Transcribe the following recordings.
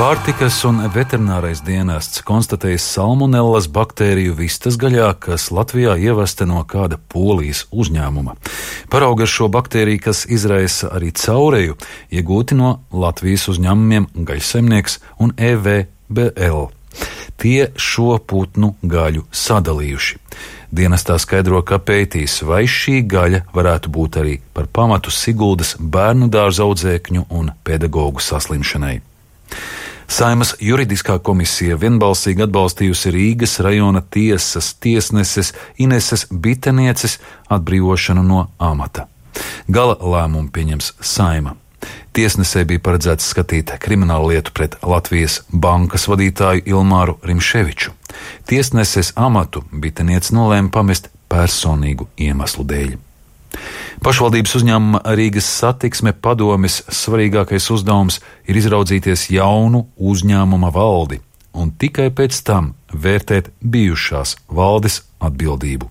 Pārtikas un veterinārais dienests konstatējis salmonellas baktēriju vistas gaļā, kas Latvijā ievesta no kāda Polijas uzņēmuma. Paraugi ar šo baktēriju, kas izraisa arī caureju, iegūti no Latvijas uzņēmumiem Gaļsaimnieks un EVBL. Tie šo putnu gaļu sadalījuši. Dienestā skaidro, ka pētīs, vai šī gaļa varētu būt arī par pamatu Siguldas bērnu dārza audzēkņu un pedagogu saslimšanai. Saeimas juridiskā komisija vienbalsīgi atbalstījusi Rīgas rajona tiesas tiesneses Ineses Bitenieces atbrīvošanu no amata. Gala lēmumu pieņems Saeima. Tiesnesē bija paredzēts skatīt kriminālu lietu pret Latvijas bankas vadītāju Ilmāru Rimševiču. Tiesneses amatu Biteniece nolēma pamest personīgu iemeslu dēļ. Pašvaldības uzņēmuma Rīgas satiksme padomes svarīgākais uzdevums ir izraudzīties jaunu uzņēmuma valdi un tikai pēc tam vērtēt bijušās valdes atbildību.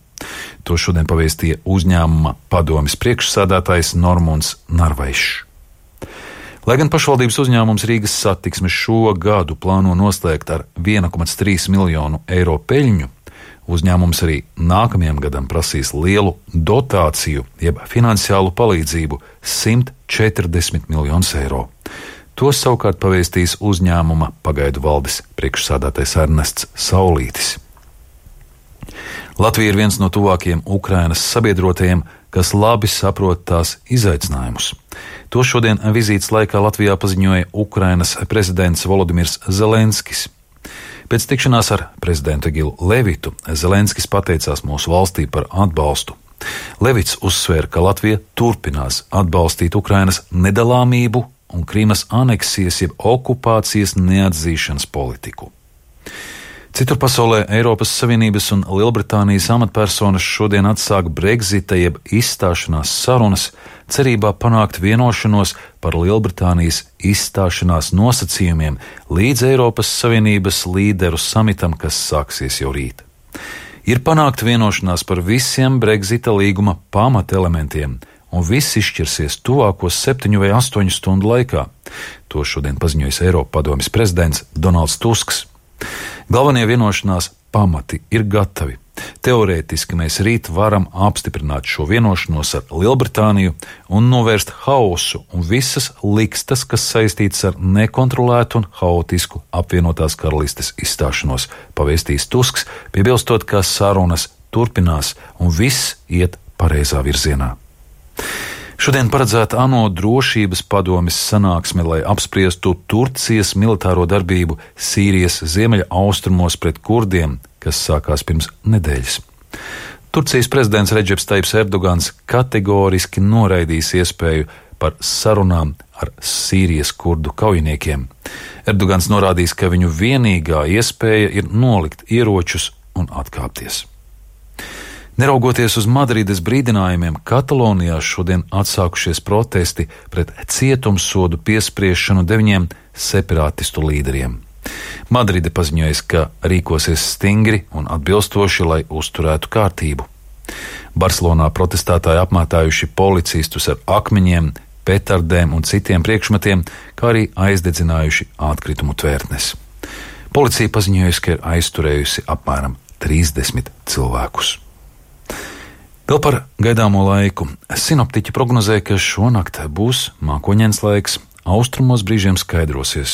To šodien pavēstīja uzņēmuma padomes priekšsēdētājs Normunds Narvaišs. Lai gan pašvaldības uzņēmums Rīgas satiksme šo gadu plāno noslēgt ar 1,3 miljonu eiro peļņu, uzņēmums arī nākamajam gadam prasīs lielu dotāciju, jeb finansiālu palīdzību 140 miljonus eiro. To savukārt pavēstīs uzņēmuma pagaidu valdes priekšsādātais Ernests Saulītis. Latvija ir viens no tuvākajiem Ukrainas sabiedrotajiem, kas labi saprot tās izaicinājumus. To šodien vizītes laikā Latvijā paziņoja Ukrainas prezidents Volodimirs Zelenskis. Pēc tikšanās ar prezidentu Egilu Levitu Zelenskis pateicās mūsu valstī par atbalstu. Levits uzsvēra, ka Latvija turpinās atbalstīt Ukrainas nedalāmību un Krīmas aneksijas jeb okupācijas neatzīšanas politiku. Citur pasaulē Eiropas Savienības un Lielbritānijas amatpersonas šodien atsāk Brexita jeb izstāšanās sarunas, cerībā panākt vienošanos par Lielbritānijas izstāšanās nosacījumiem līdz Eiropas Savienības līderu samitam, kas sāksies jau rīt. Ir panākt vienošanās par visiem Brexita līguma pamatelementiem, un viss izšķirsies tuvākos 7 vai 8 stundu laikā. To šodien paziņojis Eiropadomes prezidents Donalds Tusks. Galvenie vienošanās pamati ir gatavi. Teorētiski mēs rīt varam apstiprināt šo vienošanos ar Lielbritāniju un novērst haosu un visas likstas, kas saistītas ar nekontrolētu un haotisku apvienotās karalistes izstāšanos, pavēstīs Tusks, piebilstot, ka sarunas turpinās un viss iet pareizā virzienā. Šodien paredzēta ANO drošības padomes sanāksme, lai apspriestu Turcijas militāro darbību Sīrijas ziemeļa austrumos pret kurdiem, kas sākās pirms nedēļas. Turcijas prezidents Redžeps Taips Erdogans kategoriski noraidīs iespēju par sarunām ar Sīrijas kurdu kaujiniekiem. Erdogans norādīs, ka viņu vienīgā iespēja ir nolikt ieročus un atkāpties. Neraugoties uz Madrides brīdinājumiem, Katalonijā šodien atsākušies protesti pret cietumsodu piespriešanu 9 separātistu līderiem. Madride paziņojas, ka rīkosies stingri un atbilstoši, lai uzturētu kārtību. Barcelonā protestētāji apmētājuši policistus ar akmeņiem, petardēm un citiem priekšmetiem, kā arī aizdedzinājuši atkritumu tvērtnes. Policija paziņojusi, ka ir aizturējusi apmēram 30 cilvēkus. Vēl par gaidāmo laiku. Sinoptiķi prognozē, ka šonakt būs mākoņains laiks, austrumos brīžiem skaidrosies.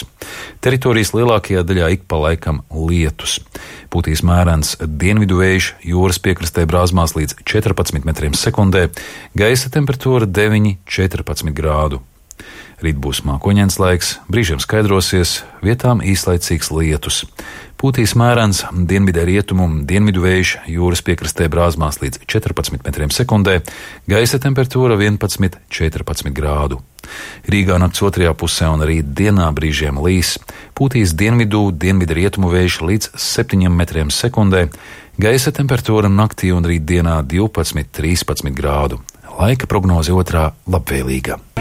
Teritorijas lielākajā daļā ik pa laikam lietus. Pūtīs mērens dienvidu vējš, jūras piekrastē brāzmās līdz 14 metriem sekundē, gaisa temperatūra 9–14 grādu. Rīt būs mākoņains laiks, brīžiem skaidrosies, vietām īslaicīgs lietus. Pūtīs mērens dienvidē rietumu dienvidu vējš, jūras piekrastē brāzmās līdz 14 metriem sekundē, gaisa temperatūra 11–14 grādu. Rīgā nakts otrajā pusē un rīt dienā brīžiem līs, pūtīs dienvidu rietumu vējš līdz 7 metriem sekundē, gaisa temperatūra naktī un rīt dienā 12–13 grādu. Laika prognoze otrā labvēlīga.